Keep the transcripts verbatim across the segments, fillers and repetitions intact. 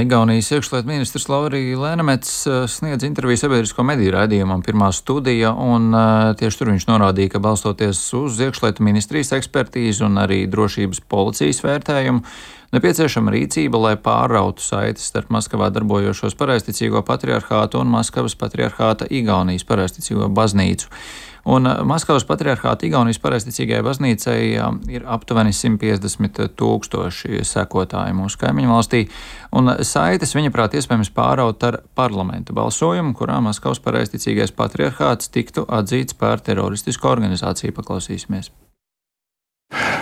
Igaunijas iekšlietu ministrs Laurija Lēnemets sniedz interviju sabiedrisko mediju raidījumam Pirmā studija, un tieši tur viņš norādīja, ka balstoties uz iekšlietu ministrijas ekspertīzi un arī drošības policijas vērtējumu, nepieciešama rīcība, lai pārrautu saites starp Maskavā darbojošos pareizticīgo patriarhātu un Maskavas patriarhāta Igaunijas pareizticīgo baznīcu. Un Maskavas patriarhāta Igaunijas pareizticīgajai baznīcai ir aptuveni simt piecdesmit tūkstoši sekotāji mūsu kaimiņu valstī, un saites, viņaprāt, iespējams pāraut ar parlamenta balsojumu, kurā Maskavas pareizticīgais patriarhāts tiktu atzīts par teroristisku organizāciju. Paklausīsimies.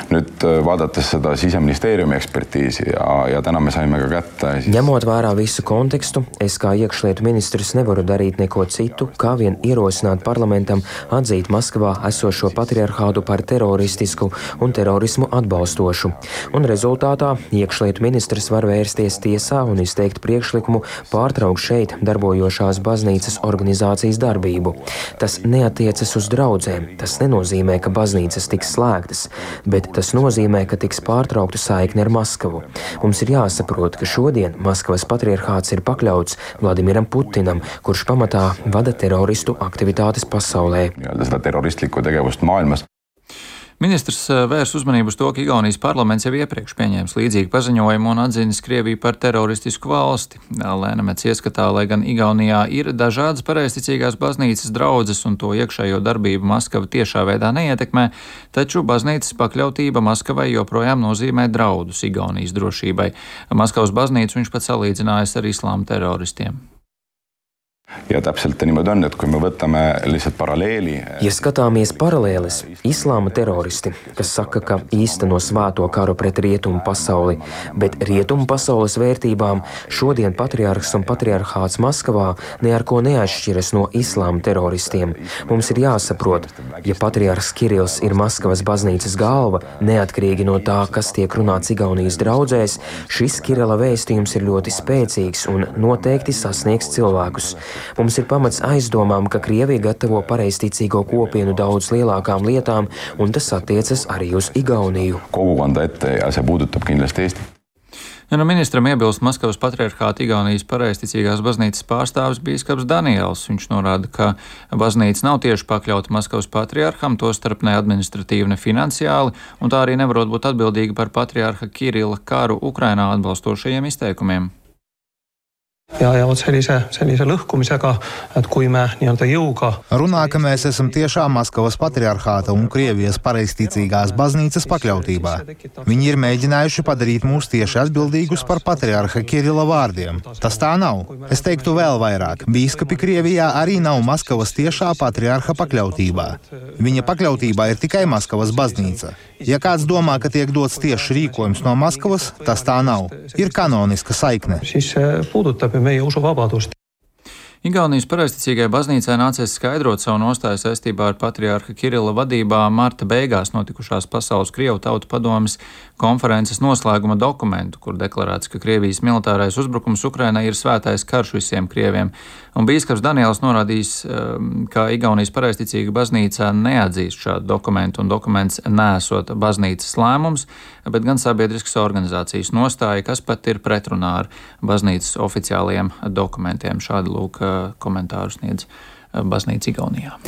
Nüüd vaadates seda Siseministeeriumi ekspertiisi ja, ja täna me saime ka kätte. Siis... Ņemot vērā visu kontekstu, es kā iekšlietu ministrs nevaru darīt neko citu, kā vien ierosināt parlamentam atzīt Maskavā esošo patriarhātu par teroristisku un terorismu atbalstošu. Un rezultātā iekšlietu ministrs var vērsties tiesā un izteikt priekšlikumu pārtraukt šeit darbojošās baznīcas organizācijas darbību. Tas neatiecas uz draudzēm, tas nenozīmē, ka baznīcas tiks slēgtas, bet tas nozīmē, ka tiks pārtraukta saikne ar Maskavu. Mums ir jāsaprot, ka šodien Maskavas patriarhāts ir pakļauts Vladimiram Putinam, kurš pamatā vada teroristu aktivitātes pasaulē. Seda teroristlikku tegevust maailmas. Ministrs vērs uzmanību uz to, ka Igaunijas parlaments jau iepriekš pieņēmis līdzīgu paziņojumu un atzinis Krieviju par teroristisku valsti. Lēnemets ieskatā, lai gan Igaunijā ir dažādas pareizticīgās baznīcas draudzes un to iekšējo darbību Maskava tiešā veidā neietekmē, taču baznīcas pakļautība Maskavai joprojām nozīmē draudus Igaunijas drošībai. Maskavas baznīcu viņš pat salīdzinājis ar islāma teroristiem. Ja täpselt niimoodi on, et kui me võtame lihtsalt paralleeli. Ja skatāmies paralēlis, islāma teroristi, kas saka, ka īsteno svēto karu pret rietumu pasauli, bet rietumu pasaules vērtībām šodien patriarhs un patriarhāts Maskavā ne ar ko neatšķiras no islāma teroristiem. Mums ir jāsaprot, ja patriarhs Kirills ir Maskavas baznīcas galva, neatkarīgi no tā, kas tiek runāts Igaunijas draudzēs, šis Kirila vēstījums ir ļoti spēcīgs un noteikti sasniegs cilvēkus. Mums ir pamats aizdomām, ka Krievija gatavo pareizticīgo kopienu daudz lielākām lietām, un tas attiecas arī uz Igauniju. Kogukonda ette ja see puudutab kindlasti Eesti. Ja no ministram iebilst Maskavas patriarhāta Igaunijas pareizticīgās baznīcas pārstāvis bīskaps Daniels. Viņš norāda, ka baznīca nav tieši pakļauta Maskavas patriarham, tostarp ne administratīvi, ne finansiāli, un tā arī nevarot būt atbildīga par patriarha Kirila karu Ukrainā atbalstošajiem izteikumiem. Ja, ja sellise, sellise lõhkumisega, et kui me nii-öelda jõuga... Runā, ka mēs esam tiešām Maskavas patriarhāta un Krievijas pareizticīgās baznīcas pakļautībā. Viņi ir mēģinājuši padarīt mūs tieši atbildīgus par patriarha Kirila vārdiem. Tas tā nav. Es teiktu vēl vairāk. Bīskapi Krievijā arī nav Maskavas tiešā patriarha pakļautībā. Viņa pakļautībā ir tikai Maskavas baznīca. Ja kāds domā, ka tiek dots tieši rīkojums no Maskavas, tas tā nav. Ir kanoniska saikne. Siis puudutab meie usuvabadust. Igaunijas pareizticīgai baznīcai nācies skaidrot savu nostāju saistībā ar patriarha Kirila vadībā marta beigās notikušās Pasaules Krievu tautu padomes konferences noslēguma dokumentu, kur deklarēts, ka Krievijas militārais uzbrukums Ukrainai ir svētais karš visiem krieviem. Un bīskaps Daniels norādījis, ka Igaunijas pareizticīga baznīca neatzīst šādu dokumentu, un dokuments neesot baznīcas lēmums, bet gan sabiedriskas organizācijas nostāja, kas pat ir pretrunā ar baznīcas oficiālajiem dokumentiem. Šādi lūk komentāru sniedz baznīca Igaunijā.